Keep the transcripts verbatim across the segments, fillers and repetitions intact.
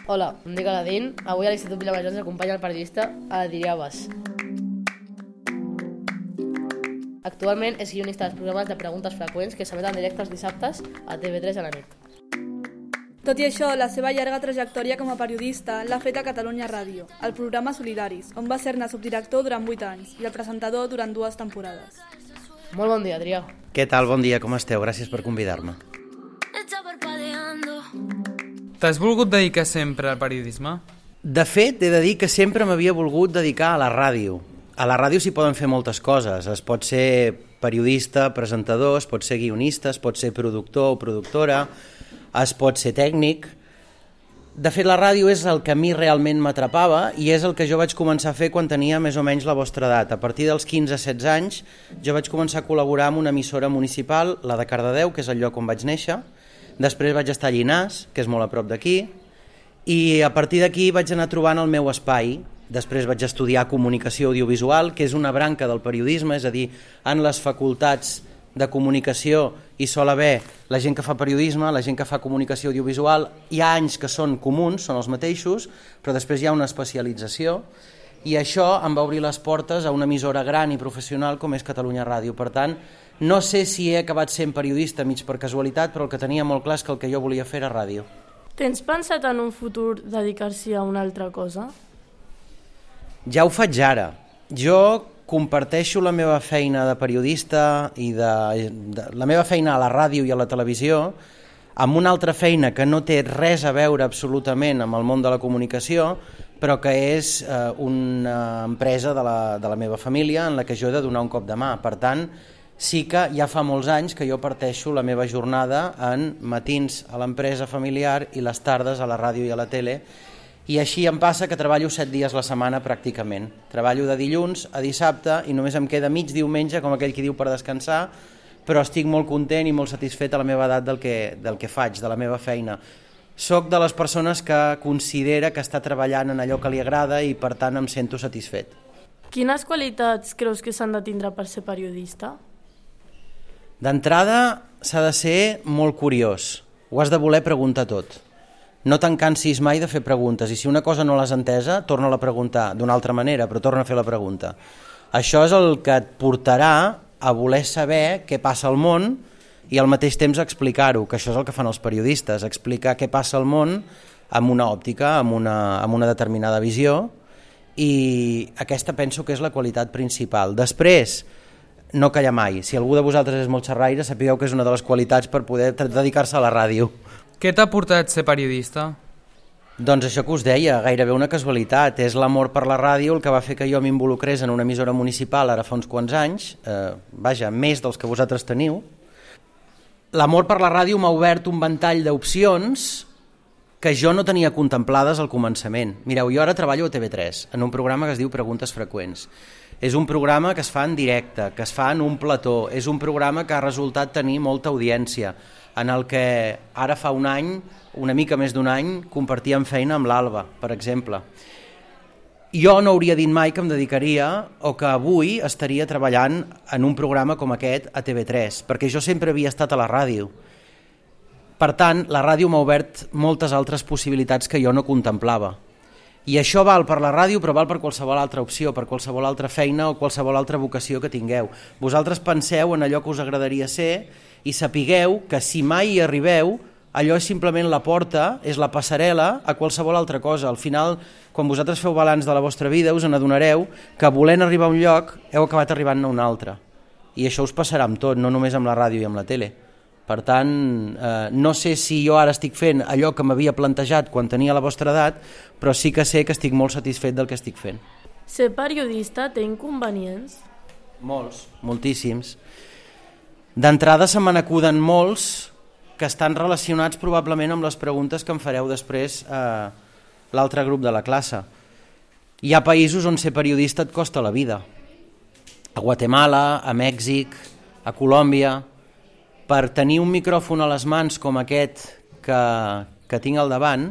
Hola, em dic Aladín. Avui a l'Institut Vilamajor ens acompanya el periodista Adrià Bas. Actualment és guionista dels programes de preguntes freqüents que s'emeten en directe els dissabtes a T V tres a la nit. Tot i això, la seva llarga trajectòria com a periodista l'ha fet a Catalunya Ràdio, al programa Solidaris, on va ser-ne subdirector durant vuit anys i el presentador durant dues temporades. Molt bon dia, Adrià. Què tal? Bon dia, com esteu? Gràcies per convidar-me. T'has volgut dedicar sempre al periodisme? De fet, he de dir que sempre m'havia volgut dedicar a la ràdio. A la ràdio s'hi poden fer moltes coses. Es pot ser periodista, presentador, es pot ser guionista, es pot ser productor o productora, es pot ser tècnic. De fet, la ràdio és el que a mi realment m'atrapava i és el que jo vaig començar a fer quan tenia més o menys la vostra edat. A partir dels quinze setze anys jo vaig començar a col·laborar amb una emissora municipal, la de Cardedeu, que és el lloc on vaig néixer. Després vaig estar a Llinars, que és molt a prop d'aquí, i a partir d'aquí vaig anar trobant el meu espai. Després vaig estudiar comunicació audiovisual, que és una branca del periodisme, és a dir, en les facultats de comunicació hi sol haver la gent que fa periodisme, la gent que fa comunicació audiovisual, hi ha anys que són comuns, són els mateixos, però després hi ha una especialització, i això em va obrir les portes a una emissora gran i professional com és Catalunya Ràdio. Per tant, no sé si he acabat sent periodista mig per casualitat, però el que tenia molt clar és que el que jo volia fer era ràdio. Tens pensat en un futur dedicar-s'hi a una altra cosa? Ja ho faig ara. Jo comparteixo la meva feina de periodista i de, de la meva feina a la ràdio i a la televisió amb una altra feina que no té res a veure absolutament amb el món de la comunicació, però que és eh, una empresa de la, de la meva família en la que jo he de donar un cop de mà. Per tant, sí que ja fa molts anys que jo parteixo la meva jornada en matins a l'empresa familiar i les tardes a la ràdio i a la tele, i així em passa que treballo set dies la setmana pràcticament. Treballo de dilluns a dissabte i només em queda mig diumenge, com aquell qui diu, per descansar, però estic molt content i molt satisfet a la meva edat del que, del que faig, de la meva feina. Soc de les persones que considera que està treballant en allò que li agrada i per tant em sento satisfet. Quines qualitats creus que s'han de tindre per ser periodista? D'entrada s'ha de ser molt curiós, ho has de voler preguntar tot. No te'n cansis mai de fer preguntes i si una cosa no l'has entesa, torna-la a preguntar d'una altra manera, però torna a fer la pregunta. Això és el que et portarà a voler saber què passa al món i al mateix temps explicar-ho, que això és el que fan els periodistes, explicar què passa al món amb una òptica, amb una, amb una determinada visió, i aquesta penso que és la qualitat principal. Després, no callar mai. Si algú de vosaltres és molt xerraire, sapigueu que és una de les qualitats per poder dedicar-se a la ràdio. Què t'ha portat ser periodista? Doncs això que us deia, gairebé una casualitat. És l'amor per la ràdio el que va fer que jo m'involucrés en una emissora municipal ara fa uns quants anys, eh, vaja, més dels que vosaltres teniu. L'amor per la ràdio m'ha obert un ventall d'opcions que jo no tenia contemplades al començament. Mireu, jo ara treballo a T V tres, en un programa que es diu Preguntes Freqüents. És un programa que es fa en directe, que es fa en un plató, és un programa que ha resultat tenir molta audiència, en el que ara fa un any, una mica més d'un any, compartíem feina amb l'Alba, per exemple. Jo no hauria dit mai que em dedicaria o que avui estaria treballant en un programa com aquest a T V tres, perquè jo sempre havia estat a la ràdio. Per tant, la ràdio m'ha obert moltes altres possibilitats que jo no contemplava. I això val per la ràdio, però val per qualsevol altra opció, per qualsevol altra feina o qualsevol altra vocació que tingueu. Vosaltres penseu en allò que us agradaria ser i sapigueu que si mai hi arribeu, allò és simplement la porta, és la passarel·la a qualsevol altra cosa. Al final, quan vosaltres feu balanç de la vostra vida, us n'adonareu que volent arribar a un lloc heu acabat arribant a un altre. I això us passarà amb tot, no només amb la ràdio i amb la tele. Per tant, eh, no sé si jo ara estic fent allò que m'havia plantejat quan tenia la vostra edat, però sí que sé que estic molt satisfet del que estic fent. Ser periodista té inconvenients? Molts, moltíssims. D'entrada se me n'acuden molts que estan relacionats probablement amb les preguntes que em fareu després a l'altre grup de la classe. Hi ha països on ser periodista et costa la vida. A Guatemala, a Mèxic, a Colòmbia. Per tenir un micròfon a les mans com aquest que, que tinc al davant,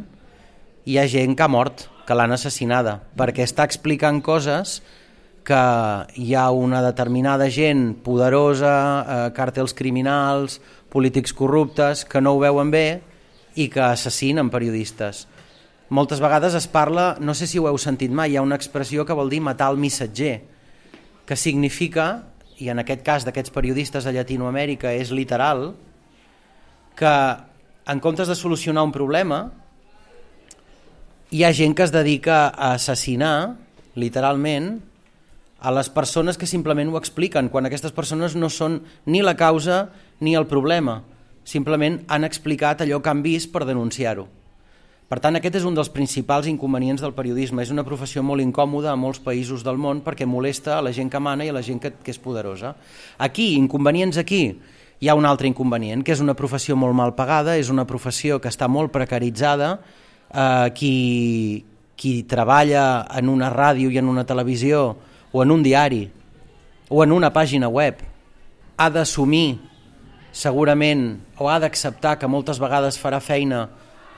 hi ha gent que ha mort, que l'han assassinada, perquè està explicant coses que hi ha una determinada gent poderosa, eh, càrtels criminals, polítics corruptes, que no ho veuen bé i que assassinen periodistes. moltes vegades es parla, no sé si ho heu sentit mai, hi ha una expressió que vol dir matar el missatger, que significa, i en aquest cas d'aquests periodistes a Llatinoamèrica és literal, que en comptes de solucionar un problema hi ha gent que es dedica a assassinar, literalment, a les persones que simplement ho expliquen, quan aquestes persones no són ni la causa ni el problema, simplement han explicat allò que han vist per denunciar-ho. Per tant, aquest és un dels principals inconvenients del periodisme. És una professió molt incòmoda a molts països del món perquè molesta a la gent que mana i a la gent que, que és poderosa. Aquí, inconvenients aquí, hi ha un altre inconvenient, que és una professió molt mal pagada, és una professió que està molt precaritzada, eh, qui, qui treballa en una ràdio i en una televisió o en un diari o en una pàgina web ha d'assumir segurament o ha d'acceptar que moltes vegades farà feina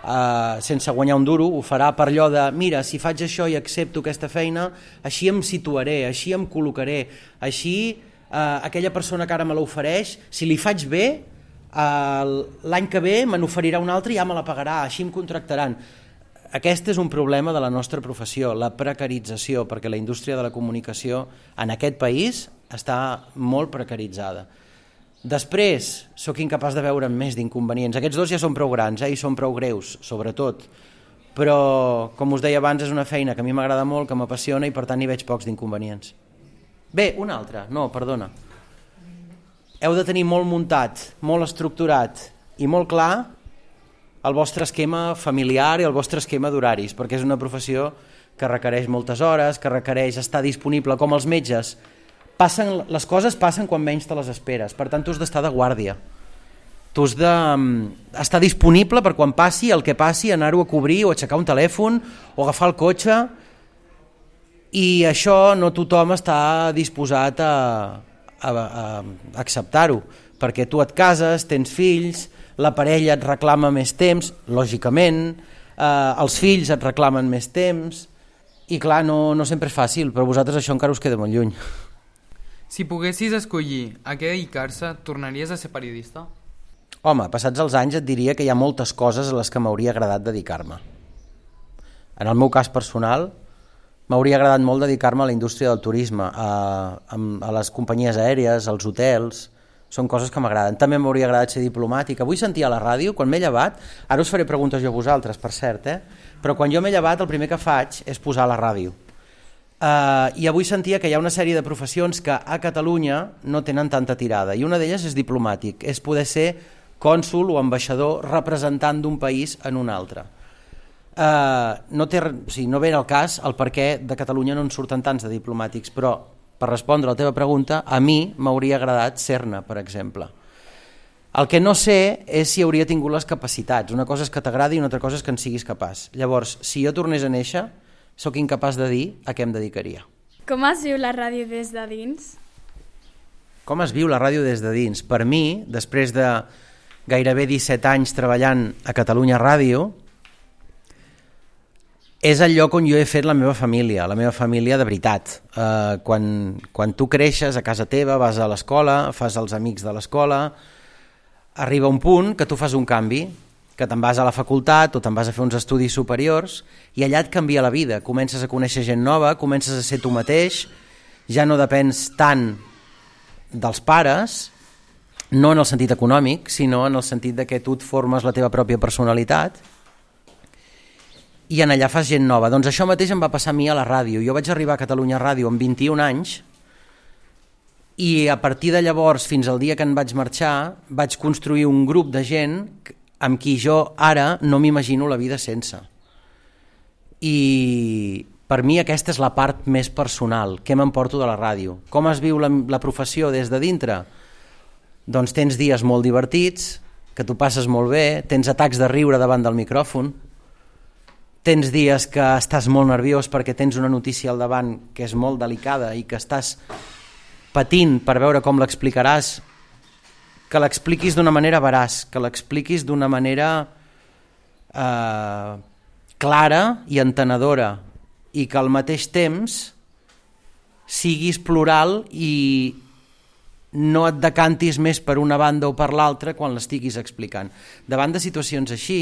Uh, sense guanyar un duro, ho farà per allò de mira, si faig això i accepto aquesta feina, així em situaré, així em col·locaré, així uh, aquella persona que ara me l'ofereix, si li faig bé, uh, l'any que ve me n'oferirà un altre i ja me la pagarà, així em contractaran. Aquest és un problema de la nostra professió, la precarització, perquè la indústria de la comunicació en aquest país està molt precaritzada. Després, sóc incapaç de veure més d'inconvenients. Aquests dos ja són prou grans, eh, i són prou greus, sobretot. Però, com us deia abans, és una feina que a mi m'agrada molt, que m'apassiona i per tant hi veig pocs d'inconvenients. Bé, una altra, no, perdona. Heu de tenir molt muntat, molt estructurat i molt clar el vostre esquema familiar i el vostre esquema d'horaris, perquè és una professió que requereix moltes hores, que requereix estar disponible com els metges. Passen, les coses passen quan menys te les esperes, per tant tu has d'estar de guàrdia, tu has d'estar disponible per quan passi el que passi, anar-ho a cobrir o aixecar un telèfon o agafar el cotxe, i això no tothom està disposat a, a, a acceptar-ho, perquè tu et cases, tens fills, la parella et reclama més temps, lògicament, eh, els fills et reclamen més temps, i clar, no, no sempre és fàcil, però a vosaltres això encara us queda molt lluny. Si poguessis escollir a què dedicar-se, tornaries a ser periodista? Home, passats els anys et diria que hi ha moltes coses a les que m'hauria agradat dedicar-me. En el meu cas personal, m'hauria agradat molt dedicar-me a la indústria del turisme, a, a, a les companyies aèries, als hotels, són coses que m'agraden. També m'hauria agradat ser diplomàtic. Avui sentia a la ràdio, quan m'he llevat, ara us faré preguntes jo a vosaltres, per cert, eh? Però quan jo m'he llevat el primer que faig és posar la ràdio. Uh, I avui sentia que hi ha una sèrie de professions que a Catalunya no tenen tanta tirada, i una d'elles és diplomàtic, és poder ser cònsol o ambaixador representant d'un país en un altre. Uh, no, té, o sigui, no ve el cas el per què de Catalunya no en surten tants de diplomàtics, però per respondre a la teva pregunta, a mi m'hauria agradat ser-ne, per exemple. El que no sé és si hauria tingut les capacitats. Una cosa és que t'agradi i una altra cosa és que en siguis capaç. Llavors, si jo tornés a néixer, sóc incapaç de dir a què em dedicaria. Com es viu la ràdio des de dins? Com es viu la ràdio des de dins? Per mi, després de gairebé disset anys treballant a Catalunya Ràdio, és el lloc on jo he fet la meva família, la meva família de veritat. Eh, quan, quan tu creixes a casa teva, vas a l'escola, fas els amics de l'escola, arriba un punt que tu fas un canvi, que te'n vas a la facultat o te'n vas a fer uns estudis superiors i allà et canvia la vida, comences a conèixer gent nova, comences a ser tu mateix, ja no depens tant dels pares, no en el sentit econòmic, sinó en el sentit de que tu et formes la teva pròpia personalitat i en allà fas gent nova. Doncs això mateix em va passar a mi a la ràdio. Jo vaig arribar a Catalunya Ràdio amb vint-i-un anys i a partir de llavors fins al dia que en vaig marxar vaig construir un grup de gent amb qui jo ara no m'imagino la vida sense. I per mi aquesta és la part més personal, què m'emporto de la ràdio. Com es viu la, la professió des de dintre? Doncs tens dies molt divertits, que tu passes molt bé, tens atacs de riure davant del micròfon, tens dies que estàs molt nerviós perquè tens una notícia al davant que és molt delicada i que estàs patint per veure com l'explicaràs, que l'expliquis d'una manera veraç, que l'expliquis d'una manera eh, clara i entenedora i que al mateix temps siguis plural i no et decantis més per una banda o per l'altra quan l'estiguis explicant. Davant de situacions així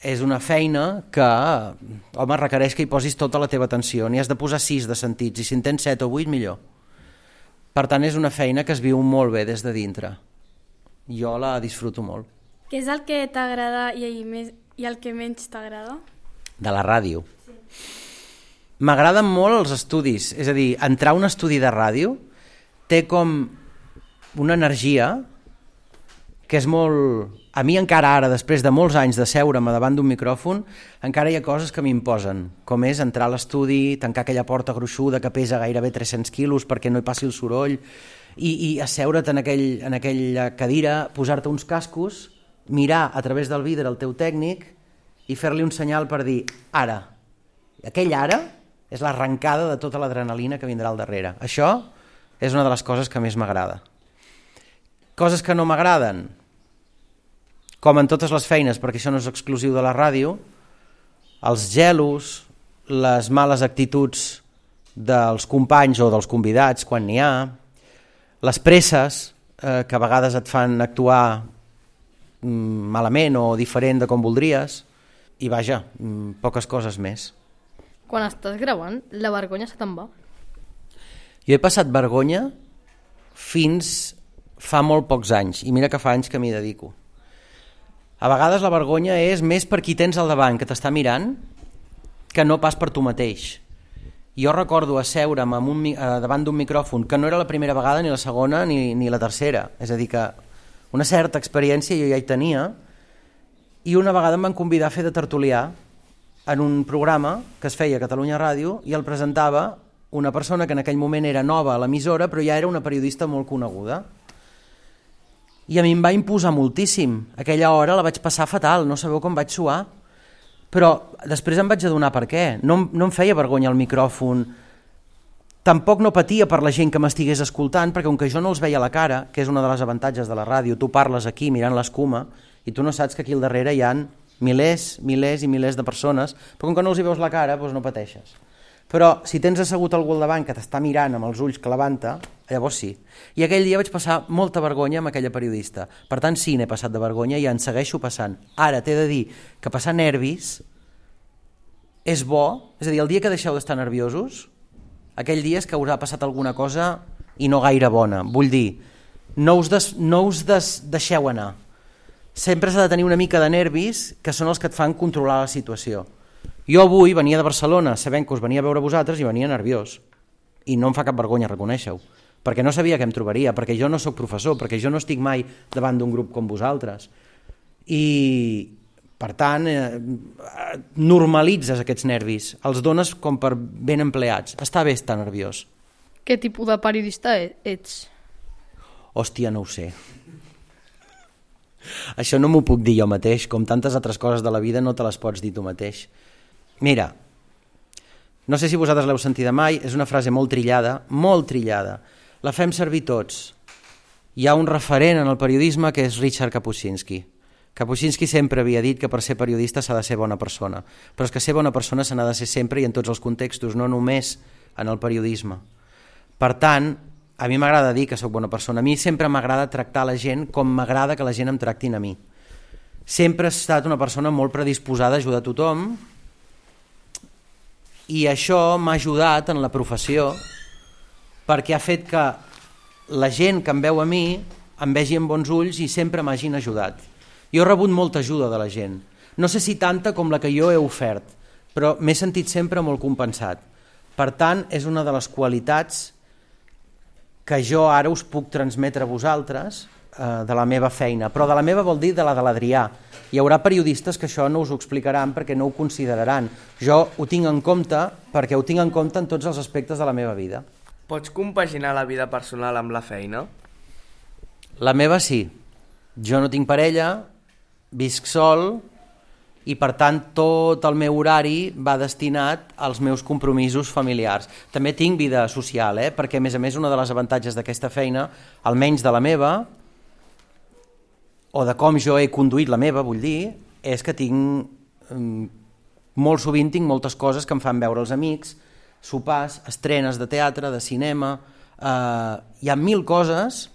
és una feina que, home, requereix que hi posis tota la teva atenció. N'hi has de posar sis de sentits, i si en tens set o vuit, millor. Per tant, és una feina que es viu molt bé des de dintre. Jo la disfruto molt. Què és el que t'agrada i, més, i el que menys t'agrada? De la ràdio. Sí. M'agraden molt els estudis, és a dir, entrar a un estudi de ràdio té com una energia que és molt... A mi encara ara, després de molts anys de seure-me davant d'un micròfon, encara hi ha coses que m'imposen, com és entrar a l'estudi, tancar aquella porta gruixuda que pesa gairebé tres-cents quilos perquè no hi passi el soroll, i, i asseure't en, aquell, en aquella cadira, posar-te uns cascos, mirar a través del vidre el teu tècnic i fer-li un senyal per dir ara. Aquell ara és l'arrencada de tota l'adrenalina que vindrà al darrere. Això és una de les coses que més m'agrada. Coses que no m'agraden, com en totes les feines, perquè això no és exclusiu de la ràdio, els gelos, les males actituds dels companys o dels convidats quan n'hi ha, les presses eh, que a vegades et fan actuar mm, malament o diferent de com voldries, i vaja, mm, poques coses més. Quan estàs gravant, la vergonya se te'n va? Jo he passat vergonya fins fa molt pocs anys, i mira que fa anys que m'hi dedico. A vegades la vergonya és més per qui tens al davant, que t'està mirant, que no pas per tu mateix. Jo recordo asseure'm amb un, eh, davant d'un micròfon, que no era la primera vegada, ni la segona, ni, ni la tercera. És a dir, que una certa experiència jo ja hi tenia, i una vegada em van convidar a fer de tertulià en un programa que es feia a Catalunya Ràdio, i el presentava una persona que en aquell moment era nova a l'emissora, però ja era una periodista molt coneguda. I a mi em va imposar moltíssim. Aquella hora la vaig passar fatal, no sabeu com vaig suar. Però després em vaig adonar per què. No, no em feia vergonya el micròfon. Tampoc no patia per la gent que m'estigués escoltant, perquè com que jo no els veia a la cara, que és una de les avantatges de la ràdio, tu parles aquí mirant l'escuma i tu no saps que aquí al darrere hi ha milers, milers i milers de persones, però com que no els hi veus la cara, doncs no pateixes. Però si tens assegut algú al davant que t'està mirant amb els ulls clavant-te, llavors sí. I aquell dia vaig passar molta vergonya amb aquella periodista. Per tant, sí, n'he passat de vergonya i en segueixo passant. Ara t'he de dir que passar nervis és bo, és a dir, el dia que deixeu d'estar nerviosos, aquell dia és que us ha passat alguna cosa i no gaire bona. Vull dir, no us, des, no us des, deixeu anar. Sempre s'ha de tenir una mica de nervis, que són els que et fan controlar la situació. Jo avui venia de Barcelona sabent que us venia a veure vosaltres i venia nerviós. I no em fa cap vergonya reconèixer-ho, perquè no sabia què em trobaria, perquè jo no sóc professor, perquè jo no estic mai davant d'un grup com vosaltres. I, per tant, eh, normalitzes aquests nervis, els dones com per ben empleats. Està bé estar nerviós. Què tipus de periodista ets? Hòstia, no ho sé. Això no m'ho puc dir jo mateix, com tantes altres coses de la vida no te les pots dir tu mateix. Mira, no sé si vosaltres l'heu sentida mai, és una frase molt trillada, molt trillada. La fem servir tots. Hi ha un referent en el periodisme que és Richard Kapuscinski. Kapuscinski sempre havia dit que per ser periodista s'ha de ser bona persona, però és que ser bona persona se n'ha de ser sempre i en tots els contextos, no només en el periodisme. Per tant, a mi m'agrada dir que sóc bona persona. A mi sempre m'agrada tractar la gent com m'agrada que la gent em tractin a mi. Sempre he estat una persona molt predisposada a ajudar a tothom, i això m'ha ajudat en la professió perquè ha fet que la gent que em veu a mi em vegi amb bons ulls i sempre m'hagin ajudat. Jo he rebut molta ajuda de la gent, no sé si tanta com la que jo he ofert, però m'he sentit sempre molt compensat. Per tant, és una de les qualitats que jo ara us puc transmetre a vosaltres eh, de la meva feina, però de la meva vol dir de la de l'Adrià. Hi haurà periodistes que això no us ho explicaran perquè no ho consideraran. Jo ho tinc en compte perquè ho tinc en compte en tots els aspectes de la meva vida. Pots compaginar la vida personal amb la feina? La meva sí. Jo no tinc parella, visc sol i per tant tot el meu horari va destinat als meus compromisos familiars. També tinc vida social, eh? Perquè a més a més una de les avantatges d'aquesta feina, almenys de la meva, o de com jo he conduït la meva, vull dir, és que tinc, molt sovint tinc moltes coses que em fan veure els amics, sopars, estrenes de teatre, de cinema, eh, hi ha mil coses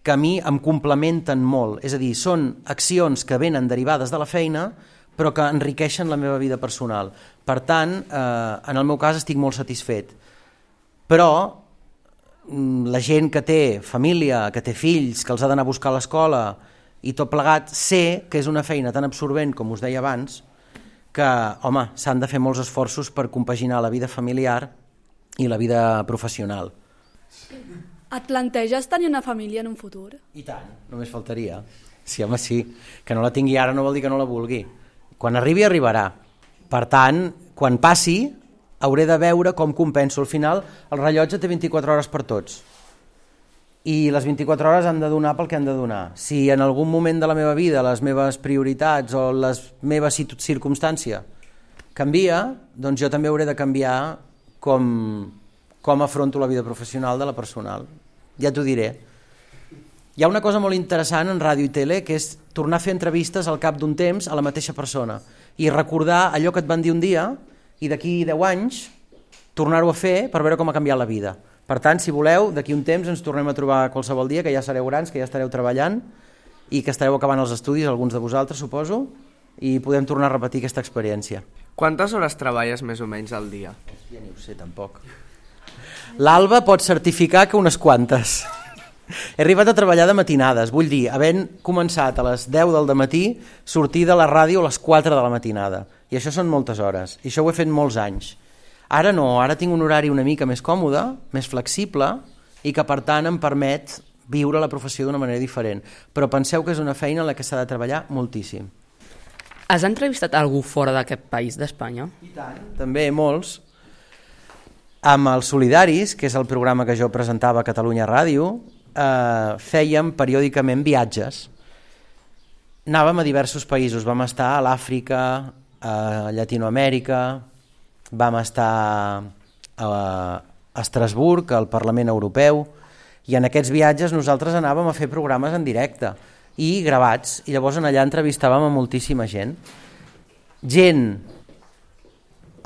que a mi em complementen molt, és a dir, són accions que venen derivades de la feina, però que enriqueixen la meva vida personal. Per tant, eh, en el meu cas estic molt satisfet. Però la gent que té família, que té fills, que els ha d'anar a buscar a l'escola i tot plegat, sé que és una feina tan absorbent, com us deia abans, que, home, s'han de fer molts esforços per compaginar la vida familiar i la vida professional. Et planteges tenir una família en un futur? I tant, només faltaria. Sí, home, sí. Que no la tingui ara no vol dir que no la vulgui. Quan arribi, arribarà. Per tant, quan passi, hauré de veure com compenso. Al final, el rellotge té vint-i-quatre hores per tots. I les vint-i-quatre hores han de donar pel que han de donar. Si en algun moment de la meva vida les meves prioritats o les meves circumstàncies canvia, doncs jo també hauré de canviar com, com afronto la vida professional de la personal. Ja t'ho diré. Hi ha una cosa molt interessant en ràdio i tele, que és tornar a fer entrevistes al cap d'un temps a la mateixa persona i recordar allò que et van dir un dia i d'aquí deu anys tornar-ho a fer per veure com ha canviat la vida. Per tant, si voleu, d'aquí un temps ens tornem a trobar qualsevol dia, que ja sereu grans, que ja estareu treballant i que estareu acabant els estudis, alguns de vosaltres, suposo, i podem tornar a repetir aquesta experiència. Quantes hores treballes més o menys al dia? Ja ni ho sé, tampoc. L'Alba pot certificar que unes quantes. He arribat a treballar de matinades, vull dir, havent començat a les deu del dematí, sortir de la ràdio a les quatre de la matinada. I això són moltes hores, i això ho he fet molts anys. Ara no, ara tinc un horari una mica més còmode, més flexible, i que per tant em permet viure la professió d'una manera diferent. Però penseu que és una feina en la que s'ha de treballar moltíssim. Has entrevistat algú fora d'aquest país, d'Espanya? I tant, també molts. Amb els Solidaris, que és el programa que jo presentava a Catalunya Ràdio, eh, fèiem periòdicament viatges. Anàvem a diversos països, vam estar a l'Àfrica, a Llatinoamèrica, vam estar a Estrasburg, al Parlament Europeu, i en aquests viatges nosaltres anàvem a fer programes en directe i gravats, i llavors allà entrevistàvem a moltíssima gent. Gent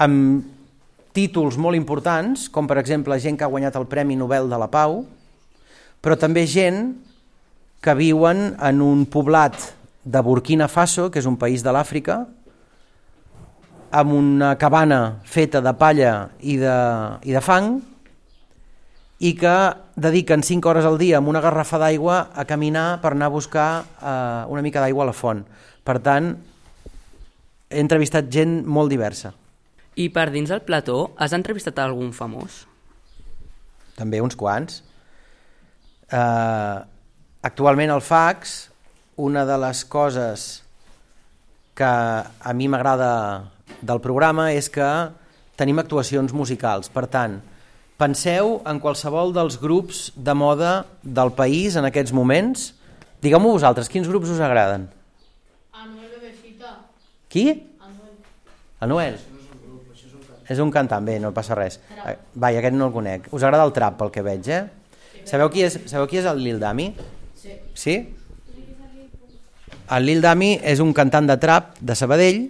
amb títols molt importants, com per exemple gent que ha guanyat el Premi Nobel de la Pau, però també gent que viuen en un poblat de Burkina Faso, que és un país de l'Àfrica, amb una cabana feta de palla i de, i de fang, i que dediquen cinc hores al dia amb una garrafa d'aigua a caminar per anar a buscar eh, una mica d'aigua a la font. Per tant, he entrevistat gent molt diversa. I per dins del plató, has entrevistat algun famós? També uns quants. Eh, actualment al Fax, una de les coses que a mi m'agrada del programa és que tenim actuacions musicals. Per tant, penseu en qualsevol dels grups de moda del país en aquests moments. Digueu-m'ho vosaltres, quins grups us agraden? Anuel Bebecita. Qui? Anuel. Anuel? És un cantant, bé, no passa res. Vai, aquest no el conec. Us agrada el trap, pel que veig, eh? Sabeu qui és, sabeu qui és el Lil Dami? Sí. Sí? El Lil Dami és un cantant de trap de Sabadell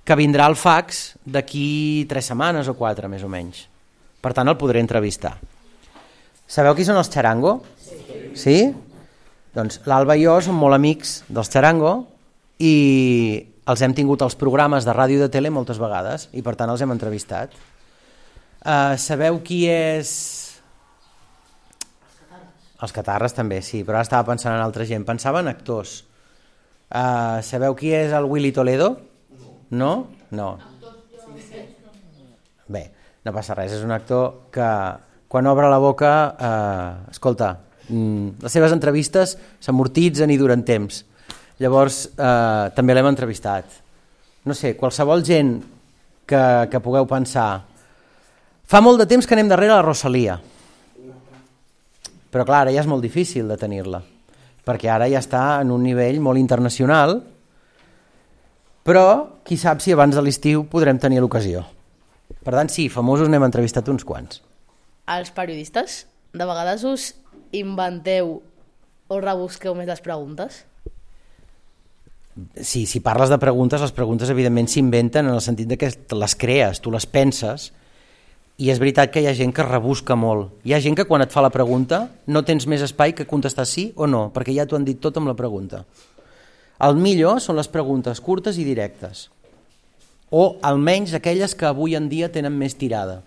que vindrà al Fax d'aquí tres setmanes o quatre, més o menys. Per tant, el podré entrevistar. Sabeu qui són els Charango? Sí. Sí? Doncs l'Alba i jo som molt amics dels Charango i els hem tingut als programes de ràdio i de tele moltes vegades i per tant els hem entrevistat. Uh, sabeu qui és... Els Catarres també, sí, però ara estava pensant en altra gent. Pensava en actors. Uh, sabeu qui és el Willy Toledo? No? No. Bé, no passa res, és un actor que quan obre la boca, eh, escolta, les seves entrevistes s'amortitzen i duren temps. Llavors, eh, també l'hem entrevistat. No sé, qualsevol gent que, que pugueu pensar. Fa molt de temps que anem darrere la Rosalia. Però clar, ara ja és molt difícil de tenir-la, perquè ara ja està en un nivell molt internacional. Però qui sap si abans de l'estiu podrem tenir l'ocasió. Per tant, sí, famosos n'hem entrevistat uns quants. Els periodistes, de vegades us inventeu o rebusqueu més les preguntes? Sí, si parles de preguntes, les preguntes evidentment s'inventen en el sentit de que les crees, tu les penses, i és veritat que hi ha gent que rebusca molt. Hi ha gent que quan et fa la pregunta no tens més espai que contestar sí o no, perquè ja t'ho han dit tot amb la pregunta. El millor són les preguntes curtes i directes, o almenys aquelles que avui en dia tenen més tirada.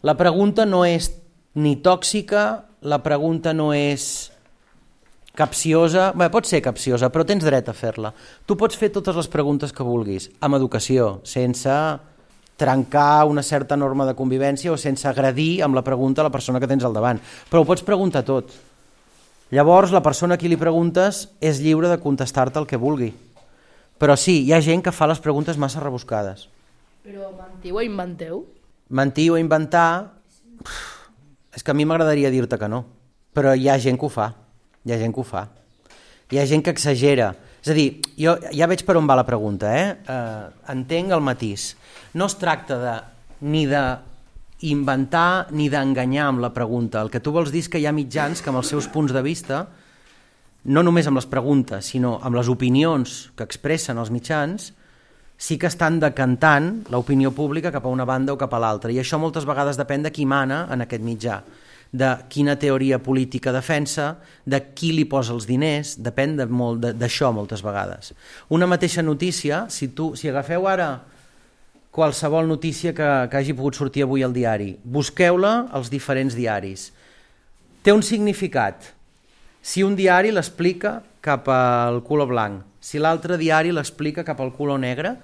La pregunta no és ni tòxica, la pregunta no és capciosa, bé, pot ser capciosa, però tens dret a fer-la. Tu pots fer totes les preguntes que vulguis, amb educació, sense trencar una certa norma de convivència o sense agredir amb la pregunta a la persona que tens al davant, però ho pots preguntar tot. Llavors, la persona a qui li preguntes és lliure de contestar-te el que vulgui. Però sí, hi ha gent que fa les preguntes massa rebuscades. Però mentiu o inventeu? Mentir o inventar... És que a mi m'agradaria dir-te que no, però hi ha gent que ho fa. Hi ha gent que ho fa. Hi ha gent que exagera. És a dir, jo ja veig per on va la pregunta, eh? Uh, entenc el matís. No es tracta de, ni d'inventar ni d'enganyar amb la pregunta. El que tu vols dir és que hi ha mitjans que amb els seus punts de vista, no només amb les preguntes, sinó amb les opinions que expressen els mitjans, sí que estan decantant l'opinió pública cap a una banda o cap a l'altra. I això moltes vegades depèn de qui mana en aquest mitjà, de quina teoria política defensa, de qui li posa els diners, depèn de molt d'això moltes vegades. Una mateixa notícia, si, tu, si agafeu ara qualsevol notícia que, que hagi pogut sortir avui al diari, busqueu-la als diferents diaris. Té un significat. Si un diari l'explica cap al color blanc, si l'altre diari l'explica cap al color negre,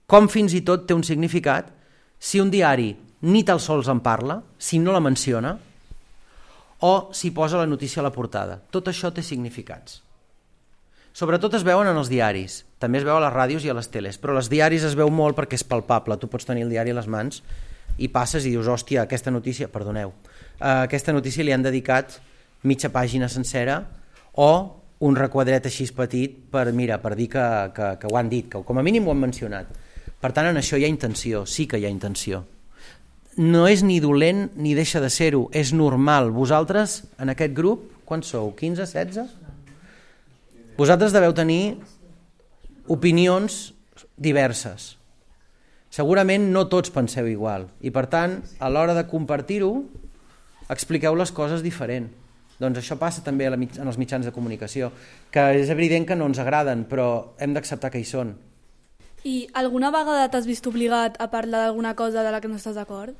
com fins i tot té un significat si un diari ni tan sols en parla, si no la menciona, o si posa la notícia a la portada. Tot això té significats. Sobretot es veuen en els diaris, també es veu a les ràdios i a les teles, però als diaris es veu molt perquè és palpable. Tu pots tenir el diari a les mans i passes i dius, hòstia, aquesta notícia, perdoneu, uh, aquesta notícia li han dedicat mitja pàgina sencera o un requadret així petit per, mira, per dir que, que, que ho han dit, que com a mínim ho han mencionat. Per tant, en això hi ha intenció, sí que hi ha intenció. No és ni dolent ni deixa de ser-ho, és normal. Vosaltres, en aquest grup, quants sou? quinze, setze? Vosaltres deveu tenir opinions diverses. Segurament no tots penseu igual i, per tant, a l'hora de compartir-ho, expliqueu les coses diferent. Doncs això passa també en els mitjans de comunicació, que és evident que no ens agraden, però hem d'acceptar que hi són. I alguna vegada t'has vist obligat a parlar d'alguna cosa de la que no estàs d'acord?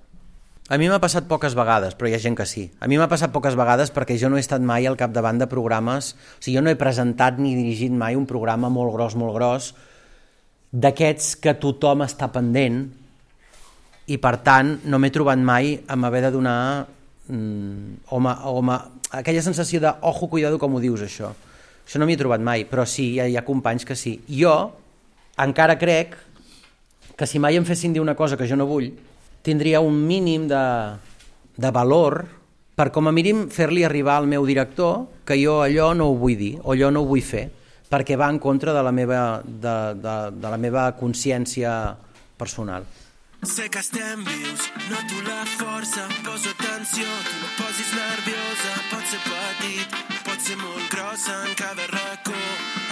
A mi m'ha passat poques vegades, però hi ha gent que sí. A mi m'ha passat poques vegades perquè jo no he estat mai al capdavant de programes, o sigui, jo no he presentat ni dirigit mai un programa molt gros, molt gros, d'aquests que tothom està pendent, i per tant no m'he trobat mai amb haver de donar mm, home, home, aquella sensació de ojo, cuidado, com ho dius això. Això no m'hi he trobat mai, però sí, hi ha, hi ha companys que sí. Jo encara crec que si mai em fessin dir una cosa que jo no vull, tindria un mínim de, de valor per com a mínim fer-li arribar al meu director que jo allò no ho vull dir o allò no ho vull fer, perquè va en contra de la meva, de, de, de la meva consciència personal. Sé que estem vius, noto la força, poso atenció, tu no posis nerviosa, pot ser petit, pot ser molt grossa, en cada racó,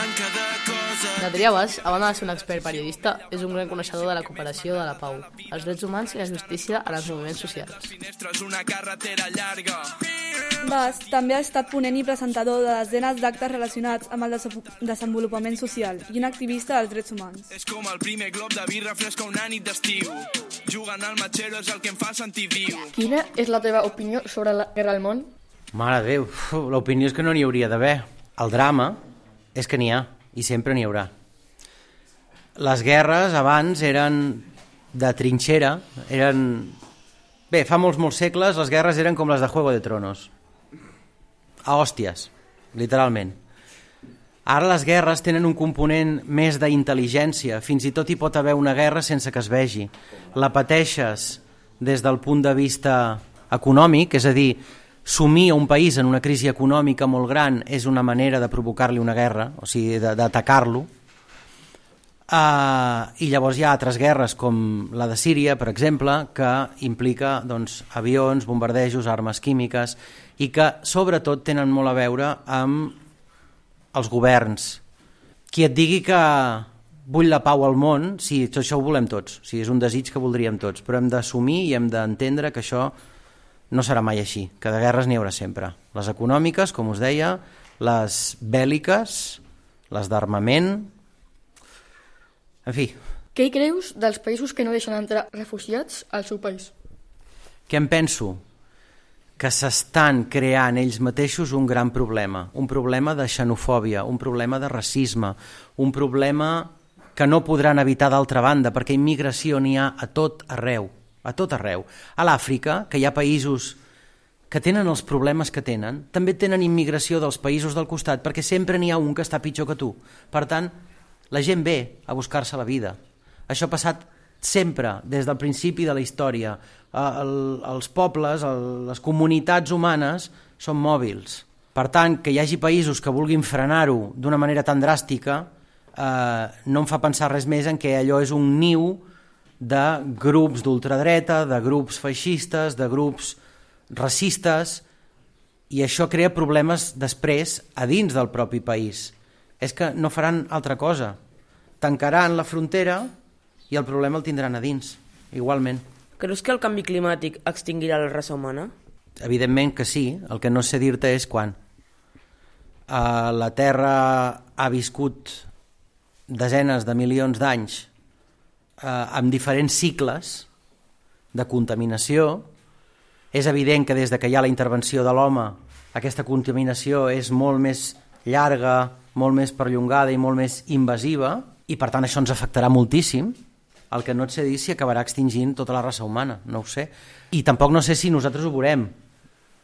en cada cosa. L'Adrià Bas, a banda de ser un expert periodista, és un gran coneixedor de la cooperació, de la pau, els drets humans i la justícia en els moviments socials. Bas també ha estat ponent i presentador de desenes d'actes relacionats amb el desenvolupament social i un activista dels drets humans. És com el primer glob de birra fresca una nit d'estiu. Jugant al matxero és el que em fa sentir viu. Quina és la teva opinió sobre la guerra al món? Mare de Déu, l'opinió és que no n'hi hauria d'haver. El drama és que n'hi ha, i sempre n'hi haurà. Les guerres abans eren de trinxera, eren... Bé, fa molts, molts segles les guerres eren com les de Juego de Tronos. A hòsties, literalment. Ara les guerres tenen un component més d'intel·ligència, fins i tot hi pot haver una guerra sense que es vegi. La pateixes des del punt de vista econòmic, és a dir, sumir a un país en una crisi econòmica molt gran és una manera de provocar-li una guerra, o sigui, d'atacar-lo. Uh, I llavors hi ha altres guerres, com la de Síria, per exemple, que implica doncs, avions, bombardejos, armes químiques, i que sobretot tenen molt a veure amb els governs. Qui et digui que vull la pau al món, sí, això ho volem tots, sí, és un desig que voldríem tots, però hem d'assumir i hem d'entendre que això no serà mai així, que de guerres n'hi haurà sempre. Les econòmiques, com us deia, les bèl·liques, les d'armament... En fi... Què hi creus dels països que no deixen entrar refugiats al seu país? Què em penso? Que s'estan creant ells mateixos un gran problema, un problema de xenofòbia, un problema de racisme, un problema que no podran evitar d'altra banda, perquè immigració n'hi ha a tot arreu, a tot arreu. A l'Àfrica, que hi ha països que tenen els problemes que tenen, també tenen immigració dels països del costat, perquè sempre n'hi ha un que està pitjor que tu. Per tant, la gent ve a buscar-se la vida. Això ha passat sempre, des del principi de la història. El, els pobles, el, les comunitats humanes són mòbils. Per tant, que hi hagi països que vulguin frenar-ho d'una manera tan dràstica eh, no em fa pensar res més en que allò és un niu de grups d'ultradreta, de grups feixistes, de grups racistes, i això crea problemes després a dins del propi país. És que no faran altra cosa. Tancaran la frontera i el problema el tindran a dins, igualment. Creus que el canvi climàtic extingirà la raça humana? Evidentment que sí, el que no sé dir-te és quan. Uh, la Terra ha viscut desenes de milions d'anys uh, amb diferents cicles de contaminació. És evident que des de que hi ha la intervenció de l'home aquesta contaminació és molt més llarga, molt més perllongada i molt més invasiva, i per tant això ens afectarà moltíssim. El que no et sé dir si acabarà extingint tota la raça humana, no ho sé. I tampoc no sé si nosaltres ho veurem,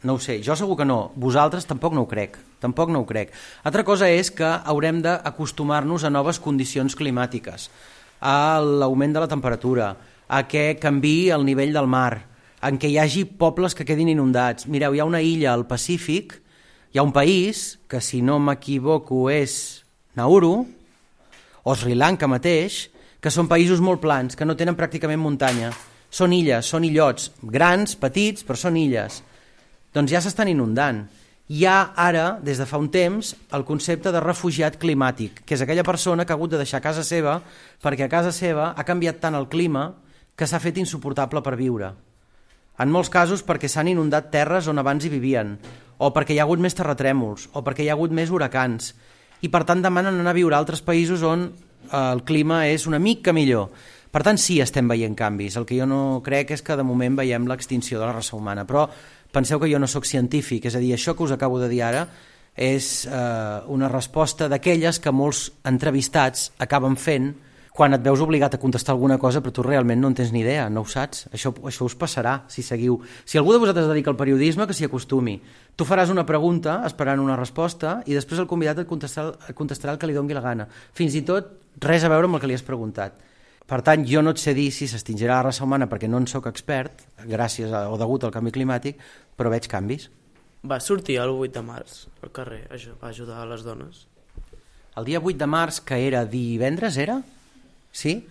no ho sé, jo segur que no, vosaltres tampoc no ho crec, tampoc no ho crec. Altra cosa és que haurem d'acostumar-nos a noves condicions climàtiques, a l'augment de la temperatura, a que canviï el nivell del mar, en què hi hagi pobles que quedin inundats. Mireu, hi ha una illa al Pacífic, hi ha un país, que si no m'equivoco és Nauru, o Sri Lanka mateix, que són països molt plans, que no tenen pràcticament muntanya. Són illes, són illots, grans, petits, però són illes. Doncs ja s'estan inundant. Hi ha ara, des de fa un temps, el concepte de refugiat climàtic, que és aquella persona que ha hagut de deixar casa seva perquè a casa seva ha canviat tant el clima que s'ha fet insuportable per viure. En molts casos perquè s'han inundat terres on abans hi vivien, o perquè hi ha hagut més terratrèmols, o perquè hi ha hagut més huracans, i per tant demanen anar a viure a altres països on el clima és una mica millor. Per tant, sí, estem veient canvis. El que jo no crec és que de moment veiem l'extinció de la raça humana, però penseu que jo no sóc científic, és a dir, això que us acabo de dir ara és eh, una resposta d'aquelles que molts entrevistats acaben fent quan et veus obligat a contestar alguna cosa però tu realment no en tens ni idea, no ho saps. Això, això us passarà si seguiu. Si algú de vosaltres es dedica al periodisme, que s'hi acostumi. Tu faràs una pregunta esperant una resposta i després el convidat et contestarà, et contestarà el que li doni la gana. Fins i tot res a veure amb el que li has preguntat. Per tant, jo no et sé dir si s'extingirà la raça humana perquè no en sóc expert, gràcies a, o degut al canvi climàtic, però veig canvis. Va sortir el vuit de març al carrer a ajudar a les dones. El dia vuit de març, que era divendres, era? Sí?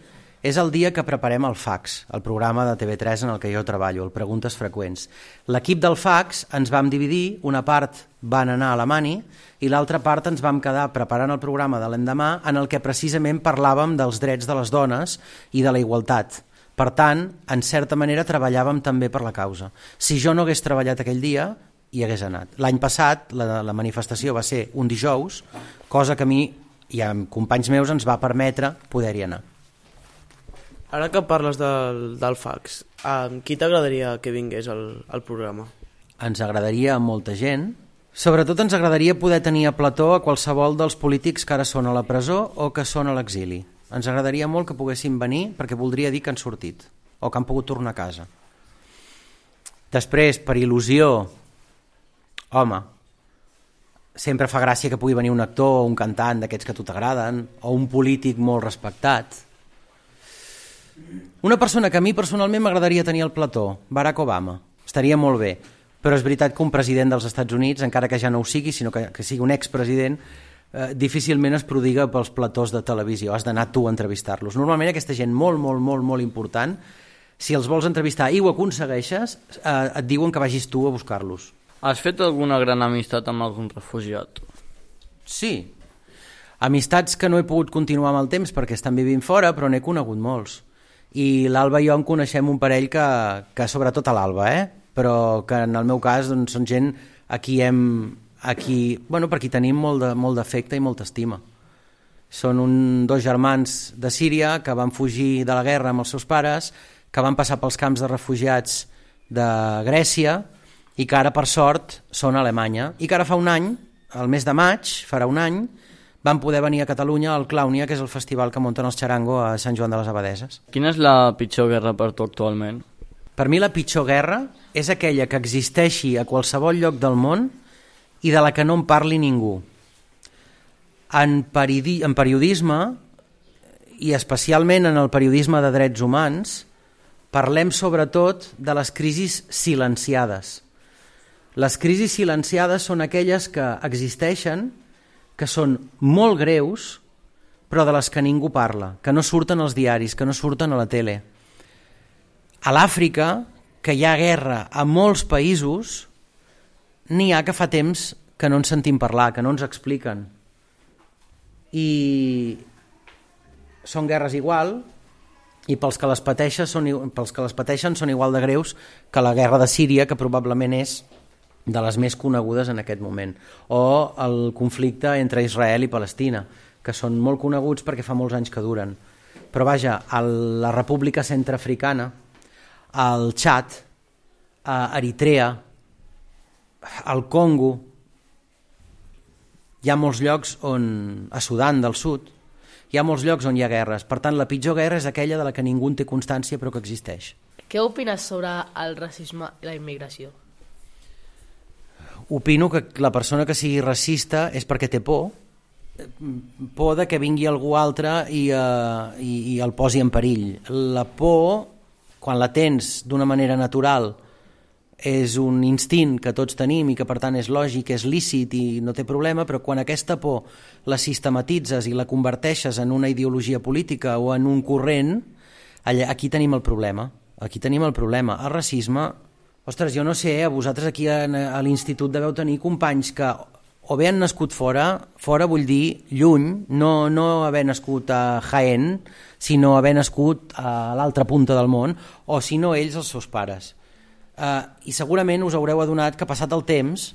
És el dia que preparem el fax, el programa de T V tres en el que jo treballo, el Preguntes Freqüents. L'equip del fax ens vam dividir, una part van anar a la Mani i l'altra part ens vam quedar preparant el programa de l'endemà en el que precisament parlàvem dels drets de les dones i de la igualtat. Per tant, en certa manera treballàvem també per la causa. Si jo no hagués treballat aquell dia, hi hagués anat. L'any passat la, la manifestació va ser un dijous, cosa que a mi i amb companys meus ens va permetre poder-hi anar. Ara que parles del, del fax, amb qui t'agradaria que vingués al, al programa? Ens agradaria a molta gent. Sobretot ens agradaria poder tenir a plató a qualsevol dels polítics que ara són a la presó o que són a l'exili. Ens agradaria molt que poguessin venir perquè voldria dir que han sortit o que han pogut tornar a casa. Després, per il·lusió, home, sempre fa gràcia que pugui venir un actor o un cantant d'aquests que a tu t'agraden o un polític molt respectat. Una persona que a mi personalment m'agradaria tenir al plató, Barack Obama, estaria molt bé, però és veritat que un president dels Estats Units, encara que ja no ho sigui, sinó que, que sigui un expresident, eh, difícilment es prodiga pels platós de televisió, has d'anar tu a entrevistar-los. Normalment aquesta gent molt, molt, molt, molt important, si els vols entrevistar i ho aconsegueixes, eh, et diuen que vagis tu a buscar-los. Has fet alguna gran amistat amb algun refugiat? Sí, amistats que no he pogut continuar amb el temps perquè estan vivint fora, però n'he conegut molts. I l'Alba i jo en coneixem un parell que, que sobretot a l'Alba, eh? Però que en el meu cas doncs, són gent a qui hem, a qui, bueno, per qui tenim molt de, molt d'afecte i molta estima. Són un, dos germans de Síria que van fugir de la guerra amb els seus pares, que van passar pels camps de refugiats de Grècia i que ara, per sort, són a Alemanya. I que ara fa un any, el mes de maig, farà un any, van poder venir a Catalunya al Clàunia, que és el festival que munten els Charango a Sant Joan de les Abadeses. Quina és la pitjor guerra per tu actualment? Per mi la pitjor guerra és aquella que existeixi a qualsevol lloc del món i de la que no en parli ningú. En, peridi en periodisme, i especialment en el periodisme de drets humans, parlem sobretot de les crisis silenciades. Les crisis silenciades són aquelles que existeixen, que són molt greus, però de les que ningú parla, que no surten als diaris, que no surten a la tele. A l'Àfrica, que hi ha guerra a molts països, n'hi ha que fa temps que no en sentim parlar, que no ens expliquen. I són guerres igual, i pels que les pateixen són, pels que les pateixen són igual de greus que la guerra de Síria, que probablement és de les més conegudes en aquest moment, o el conflicte entre Israel i Palestina, que són molt coneguts perquè fa molts anys que duren. Però vaja, a la República Centreafricana, al Txad, a Eritrea, al Congo, hi ha molts llocs on, a Sudan del Sud, hi ha molts llocs on hi ha guerres. Per tant, la pitjor guerra és aquella de la que ningú en té constància però que existeix. Què opines sobre el racisme i la immigració? Opino que la persona que sigui racista és perquè té por, por de que vingui algú altre i, uh, i, i el posi en perill. La por, quan la tens d'una manera natural, és un instint que tots tenim i que per tant és lògic, és lícit i no té problema, però quan aquesta por la sistematitzes i la converteixes en una ideologia política o en un corrent, allà, aquí tenim el problema. Aquí tenim el problema. El racisme, ostres, jo no sé, a vosaltres aquí a, a l'institut deveu tenir companys que o bé han nascut fora, fora vull dir lluny, no, no haver nascut a Jaén, sinó haver nascut a l'altra punta del món, o si no ells els seus pares. Uh, I segurament us haureu adonat que passat el temps,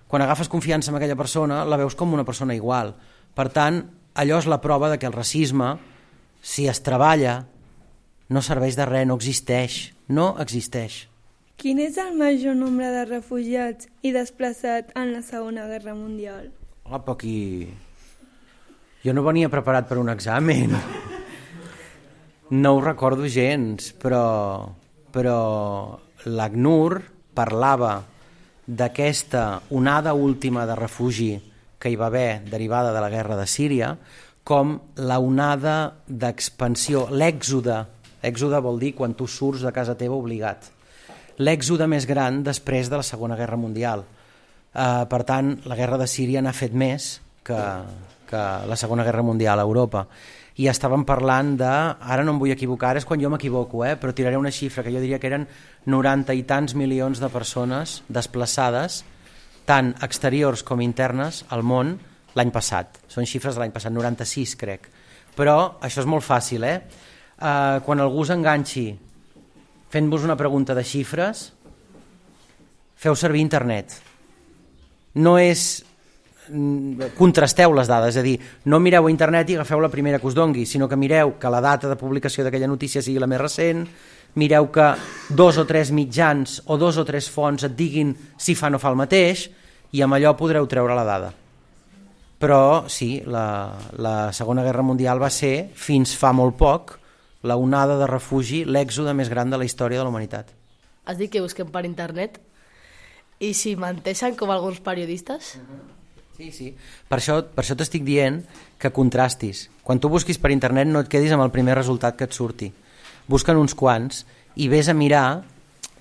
quan agafes confiança en aquella persona, la veus com una persona igual. Per tant, allò és la prova de que el racisme, si es treballa, no serveix de res, no existeix, no existeix. Quin és el major nombre de refugiats i desplaçats en la Segona Guerra Mundial? Opa, aquí... Jo no venia preparat per un examen. No ho recordo gens, però, però l'ACNUR parlava d'aquesta onada última de refugi que hi va haver derivada de la guerra de Síria com la onada d'expansió, l'èxode. Èxode vol dir quan tu surts de casa teva obligat. L'èxode més gran després de la Segona Guerra Mundial. Uh, per tant, la guerra de Síria n'ha fet més que, que la Segona Guerra Mundial a Europa. I estàvem parlant de, ara no em vull equivocar, és quan jo m'equivoco, eh, però tiraré una xifra que jo diria que eren noranta i tants milions de persones desplaçades, tant exteriors com internes, al món l'any passat. Són xifres de l'any passat, noranta-sis crec. Però això és molt fàcil, eh? Uh, quan algú s'enganxi fent-vos una pregunta de xifres, feu servir internet. No és... contrasteu les dades, és a dir, no mireu a internet i agafeu la primera que us dongui, sinó que mireu que la data de publicació d'aquella notícia sigui la més recent, mireu que dos o tres mitjans o dos o tres fonts et diguin si fa o no fa el mateix, i amb allò podreu treure la dada. Però sí, la, la Segona Guerra Mundial va ser, fins fa molt poc, la onada de refugi, l'èxode més gran de la història de la humanitat. Has dit que busquem per internet i si menteixen com alguns periodistes? Sí, sí. Per això, per això t'estic dient que contrastis. Quan tu busquis per internet no et quedis amb el primer resultat que et surti. Busquen uns quants i vés a mirar,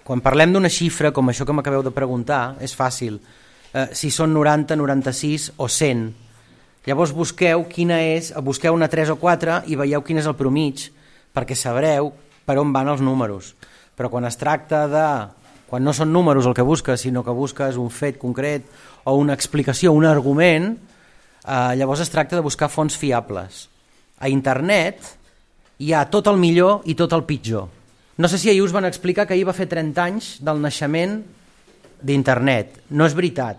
quan parlem d'una xifra com això que m'acabeu de preguntar, és fàcil, eh, si són noranta, noranta-sis o cent. Llavors busqueu quina és, busqueu una tres o quatre i veieu quin és el promig, perquè sabreu per on van els números. Però quan es tracta de... quan no són números el que busques, sinó que busques un fet concret o una explicació, un argument, eh, llavors es tracta de buscar fonts fiables. A internet hi ha tot el millor i tot el pitjor. No sé si ahir us van explicar que ahir va fer trenta anys del naixement d'internet. No és veritat.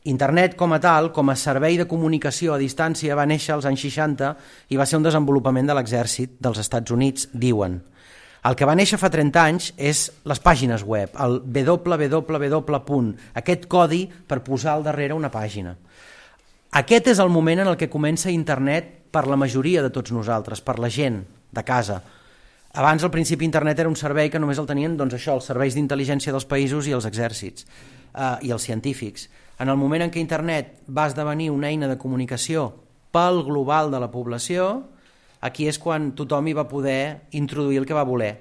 Internet com a tal, com a servei de comunicació a distància, va néixer als anys seixanta i va ser un desenvolupament de l'exèrcit dels Estats Units, diuen. El que va néixer fa trenta anys és les pàgines web, el doble u doble u doble u punt, aquest codi per posar al darrere una pàgina. Aquest és el moment en el que comença Internet per la majoria de tots nosaltres, per la gent de casa. Abans, al principi, Internet era un servei que només el tenien, doncs això, els serveis d'intel·ligència dels països i els exèrcits eh, i els científics. En el moment en què Internet va esdevenir una eina de comunicació pel global de la població, aquí és quan tothom hi va poder introduir el que va voler,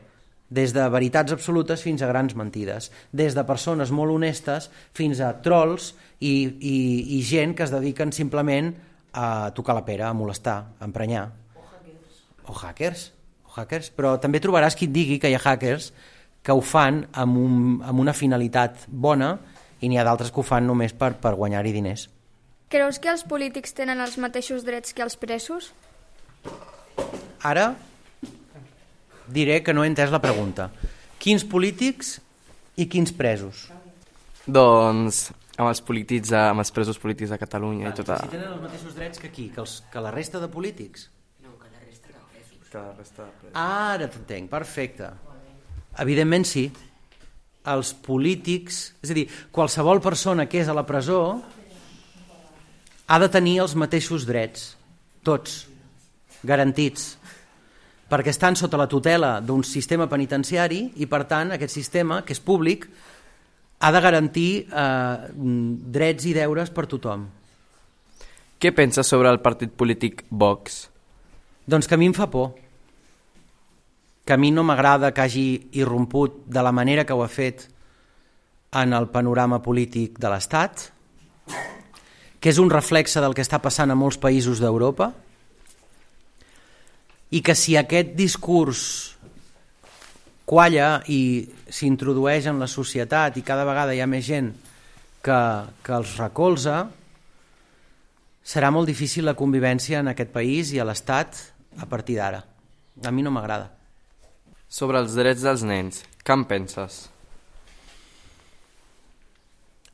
des de veritats absolutes fins a grans mentides, des de persones molt honestes fins a trolls i, i, i gent que es dediquen simplement a tocar la pera, a molestar, a emprenyar. O hackers. O hackers, o hackers. Però també trobaràs qui et digui que hi ha hackers que ho fan amb, un, amb una finalitat bona i n'hi ha d'altres que ho fan només per, per guanyar-hi diners. Creus que els polítics tenen els mateixos drets que els presos? Ara diré que no he entès la pregunta. Quins polítics i quins presos? Doncs amb els polítics, amb els presos polítics de Catalunya. I tota... Si tenen els mateixos drets que qui? Que, els, que la resta de polítics? No, que la resta de presos. Que la resta de presos. Ara t'entenc, perfecte. Evidentment sí. Els polítics, és a dir, qualsevol persona que és a la presó ha de tenir els mateixos drets, tots, garantits, perquè estan sota la tutela d'un sistema penitenciari i, per tant, aquest sistema, que és públic, ha de garantir eh, drets i deures per tothom. Què penses sobre el partit polític Vox? Doncs que a mi em fa por. Que a mi no m'agrada que hagi irromput de la manera que ho ha fet en el panorama polític de l'Estat, que és un reflexe del que està passant a molts països d'Europa, i que si aquest discurs qualla i s'introdueix en la societat i cada vegada hi ha més gent que, que els recolza, serà molt difícil la convivència en aquest país i a l'Estat a partir d'ara. A mi no m'agrada. Sobre els drets dels nens, què en penses?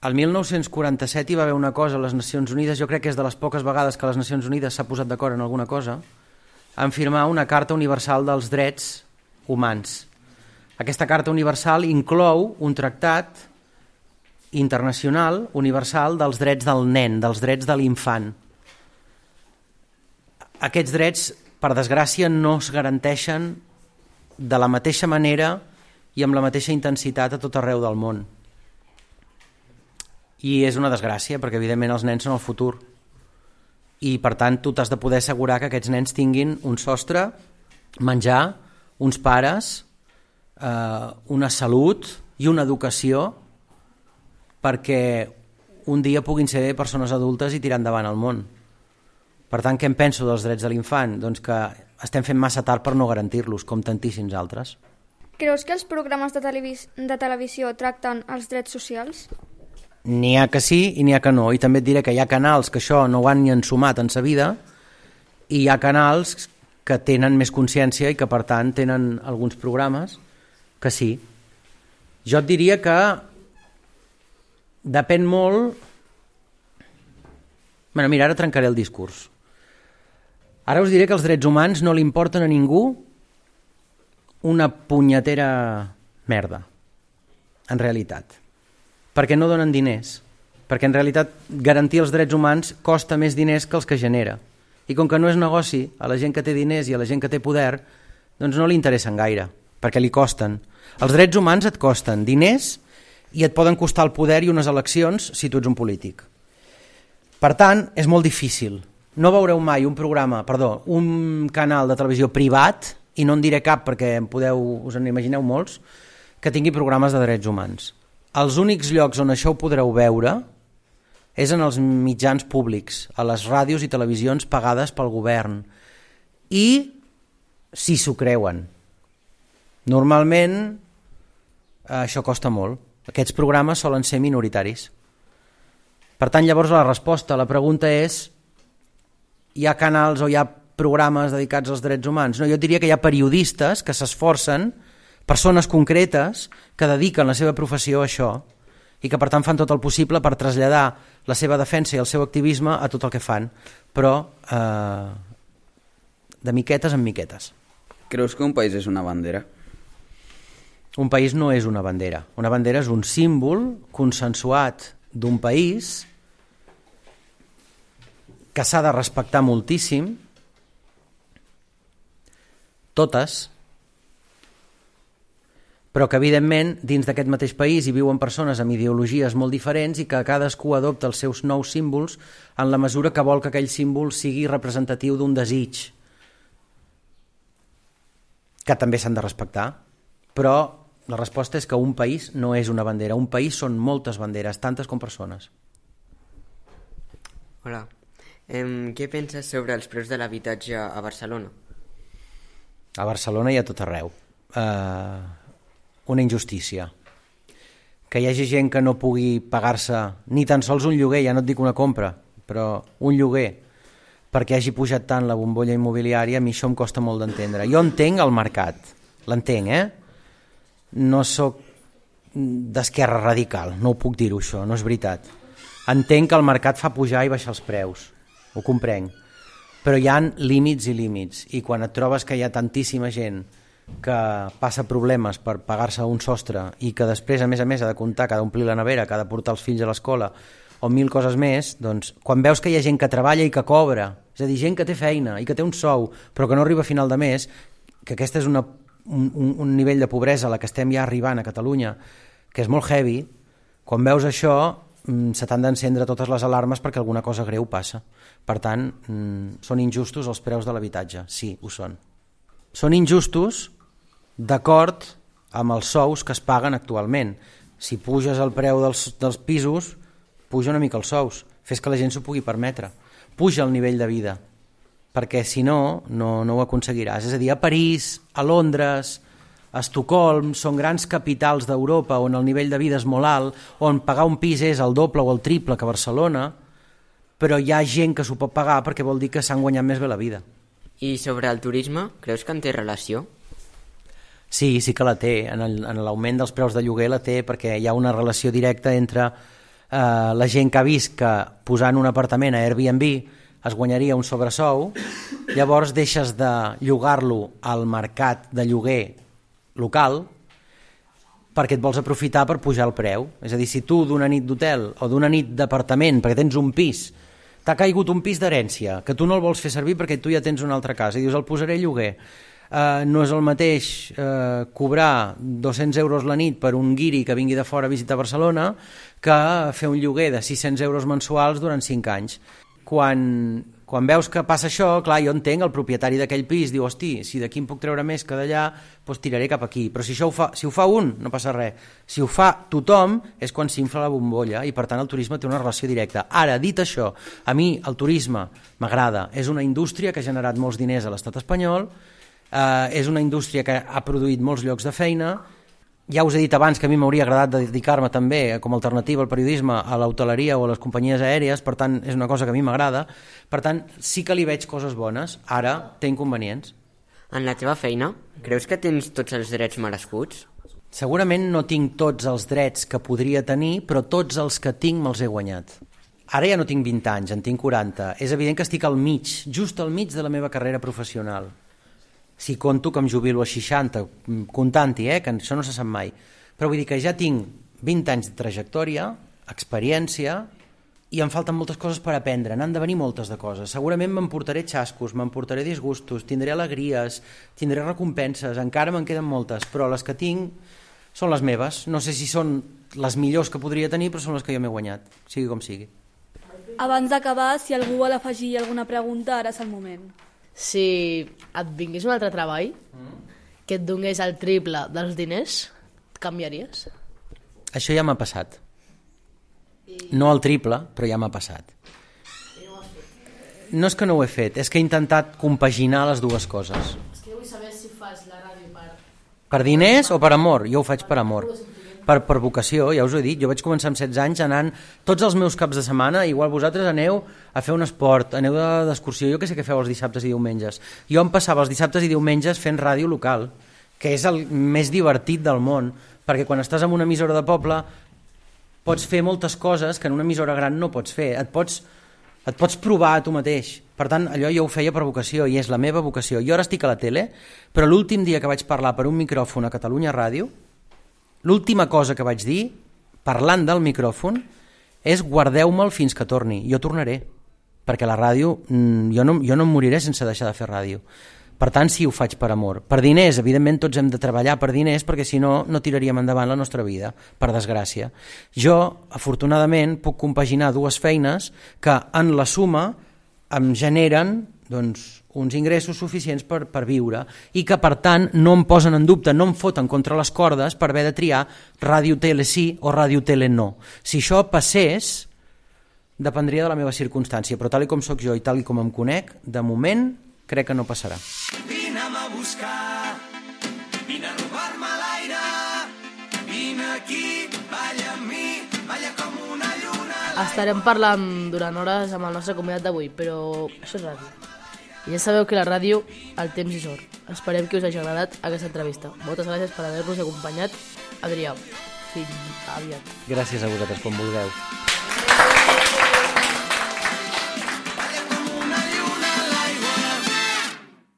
El mil nou-cents quaranta-set hi va haver una cosa a les Nacions Unides, jo crec que és de les poques vegades que les Nacions Unides s'ha posat d'acord en alguna cosa, en firmar una Carta Universal dels Drets Humans. Aquesta Carta Universal inclou un tractat internacional universal dels drets del nen, dels drets de l'infant. Aquests drets, per desgràcia, no es garanteixen de la mateixa manera i amb la mateixa intensitat a tot arreu del món. I és una desgràcia, perquè evidentment els nens són el futur. I per tant tu t'has de poder assegurar que aquests nens tinguin un sostre, menjar, uns pares, eh, una salut i una educació perquè un dia puguin ser persones adultes i tirar endavant el món. Per tant, què em penso dels drets de l'infant? Doncs que estem fent massa tard per no garantir-los, com tantíssims altres. Creus que els programes de, televis de televisió tracten els drets socials? N'hi ha que sí i n'hi ha que no. I també et diré que hi ha canals que això no ho han ni ensumat en sa vida i hi ha canals que tenen més consciència i que per tant tenen alguns programes que sí. Jo et diria que depèn molt... Bueno, mira, ara trencaré el discurs. Ara us diré que els drets humans no li importen a ningú una punyetera merda, en realitat. Perquè no donen diners. Perquè en realitat garantir els drets humans costa més diners que els que genera. I com que no és negoci, a la gent que té diners i a la gent que té poder, doncs no li interessen gaire, perquè li costen. Els drets humans et costen diners i et poden costar el poder i unes eleccions si tu ets un polític. Per tant, és molt difícil. No veureu mai un programa, perdó, un canal de televisió privat, i no en diré cap perquè en podeu, us en imagineu molts, que tingui programes de drets humans. Els únics llocs on això ho podreu veure és en els mitjans públics, a les ràdios i televisions pagades pel govern. I si s'ho creuen. Normalment això costa molt. Aquests programes solen ser minoritaris. Per tant, llavors la resposta a la pregunta és: hi ha canals o hi ha programes dedicats als drets humans? No, jo diria que hi ha periodistes que s'esforcen, persones concretes que dediquen la seva professió a això i que per tant fan tot el possible per traslladar la seva defensa i el seu activisme a tot el que fan, però eh, de miquetes en miquetes. Creus que un país és una bandera? Un país no és una bandera. Una bandera és un símbol consensuat d'un país que s'ha de respectar moltíssim, totes, però que evidentment dins d'aquest mateix país hi viuen persones amb ideologies molt diferents i que cadascú adopta els seus nous símbols en la mesura que vol que aquell símbol sigui representatiu d'un desig, que també s'han de respectar, però la resposta és que un país no és una bandera, un país són moltes banderes, tantes com persones. Hola, eh, què penses sobre els preus de l'habitatge a Barcelona? A Barcelona i a tot arreu. Eh, una injustícia. Que hi hagi gent que no pugui pagar-se ni tan sols un lloguer, ja no et dic una compra, però un lloguer, perquè hagi pujat tant la bombolla immobiliària, a mi això em costa molt d'entendre. Jo entenc el mercat, l'entenc, eh? No sóc d'esquerra radical, no ho puc dir-ho això, no és veritat. Entenc que el mercat fa pujar i baixar els preus, ho comprenc, però hi ha límits i límits, i quan et trobes que hi ha tantíssima gent que passa problemes per pagar-se un sostre i que després a més a més ha de comptar, que ha d'omplir la nevera, que ha de portar els fills a l'escola o mil coses més, doncs quan veus que hi ha gent que treballa i que cobra, és a dir, gent que té feina i que té un sou però que no arriba a final de mes, que aquesta és una Un, un, un nivell de pobresa a la que estem ja arribant a Catalunya, que és molt heavy, quan veus això se t'han d'encendre totes les alarmes perquè alguna cosa greu passa. Per tant, són injustos els preus de l'habitatge, sí, ho són. Són injustos d'acord amb els sous que es paguen actualment. Si puges el preu dels, dels pisos, puja una mica els sous, fes que la gent s'ho pugui permetre, puja el nivell de vida, perquè si no, no, no ho aconseguiràs. És a dir, a París, a Londres, a Estocolm, són grans capitals d'Europa on el nivell de vida és molt alt, on pagar un pis és el doble o el triple que Barcelona, però hi ha gent que s'ho pot pagar perquè vol dir que s'han guanyat més bé la vida. I sobre el turisme, creus que en té relació? Sí, sí que la té. En l'augment dels preus de lloguer la té perquè hi ha una relació directa entre eh, la gent que ha vist que posant un apartament a Airbnb es guanyaria un sobresou, llavors deixes de llogar-lo al mercat de lloguer local perquè et vols aprofitar per pujar el preu. És a dir, si tu d'una nit d'hotel o d'una nit d'apartament, perquè tens un pis, t'ha caigut un pis d'herència, que tu no el vols fer servir perquè tu ja tens una altra casa, i dius el posaré a lloguer, uh, no és el mateix uh, cobrar dos-cents euros la nit per un guiri que vingui de fora a visitar Barcelona que fer un lloguer de sis-cents euros mensuals durant cinc anys. Quan, quan veus que passa això, clar, jo entenc, el propietari d'aquell pis diu, hosti, si d'aquí em puc treure més que d'allà, doncs tiraré cap aquí. Però si això ho fa, si ho fa un, no passa res. Si ho fa tothom, és quan s'infla la bombolla i per tant el turisme té una relació directa. Ara, dit això, a mi el turisme m'agrada. És una indústria que ha generat molts diners a l'estat espanyol, eh, és una indústria que ha produït molts llocs de feina. Ja us he dit abans que a mi m'hauria agradat dedicar-me també com a alternativa al periodisme a l'hoteleria o a les companyies aèries, per tant és una cosa que a mi m'agrada, per tant sí que li veig coses bones, ara té inconvenients. En la teva feina, creus que tens tots els drets merescuts? Segurament no tinc tots els drets que podria tenir, però tots els que tinc me'ls he guanyat. Ara ja no tinc vint anys, en tinc quaranta, és evident que estic al mig, just al mig de la meva carrera professional. Si conto que em jubilo a seixanta, comptant-hi, eh, que això no se sap mai. Però vull dir que ja tinc vint anys de trajectòria, experiència, i em falten moltes coses per aprendre, n'han de venir moltes de coses. Segurament m'emportaré xascos, m'emportaré disgustos, tindré alegries, tindré recompenses, encara me'n queden moltes, però les que tinc són les meves. No sé si són les millors que podria tenir, però són les que jo m'he guanyat, sigui com sigui. Abans d'acabar, si algú vol afegir alguna pregunta, ara és el moment. Si et vingués un altre treball que et donés el triple dels diners, canviaries? Això ja m'ha passat. No el triple, però ja m'ha passat. No és que no ho he fet, és que he intentat compaginar les dues coses. És que vull saber si fas la ràdio per... Per diners o per amor? Jo ho faig per amor. Per, per vocació, ja us ho he dit, jo vaig començar amb setze anys anant tots els meus caps de setmana, igual vosaltres aneu a fer un esport, aneu d'excursió, jo que sé què feu els dissabtes i diumenges. Jo em passava els dissabtes i diumenges fent ràdio local, que és el més divertit del món, perquè quan estàs en una emissora de poble pots fer moltes coses que en una emissora gran no pots fer. Et pots, et pots provar a tu mateix. Per tant, allò jo ho feia per vocació i és la meva vocació. Jo ara estic a la tele, però l'últim dia que vaig parlar per un micròfon a Catalunya Ràdio, l'última cosa que vaig dir, parlant del micròfon, és guardeu-me'l fins que torni. Jo tornaré, perquè la ràdio, jo no, jo no em moriré sense deixar de fer ràdio. Per tant, sí, ho faig per amor. Per diners, evidentment, tots hem de treballar per diners, perquè si no, no tiraríem endavant la nostra vida, per desgràcia. Jo, afortunadament, puc compaginar dues feines que, en la suma, em generen doncs, uns ingressos suficients per, per viure i que, per tant, no em posen en dubte, no em foten contra les cordes per haver de triar ràdio-tele sí o ràdio-tele no. Si això passés, dependria de la meva circumstància, però tal com sóc jo i tal com em conec, de moment, crec que no passarà. Vine'm a buscar, vine a robar-me l'aire, vine aquí, balla amb mi, balla com una lluna. Estarem parlant durant hores amb el nostre convidat d'avui, però això és ràdio. I ja sabeu que la ràdio, el temps és or. Esperem que us hagi agradat aquesta entrevista. Moltes gràcies per haver-nos acompanyat. Adrià, fins aviat. Gràcies a vosaltres, com vulgueu.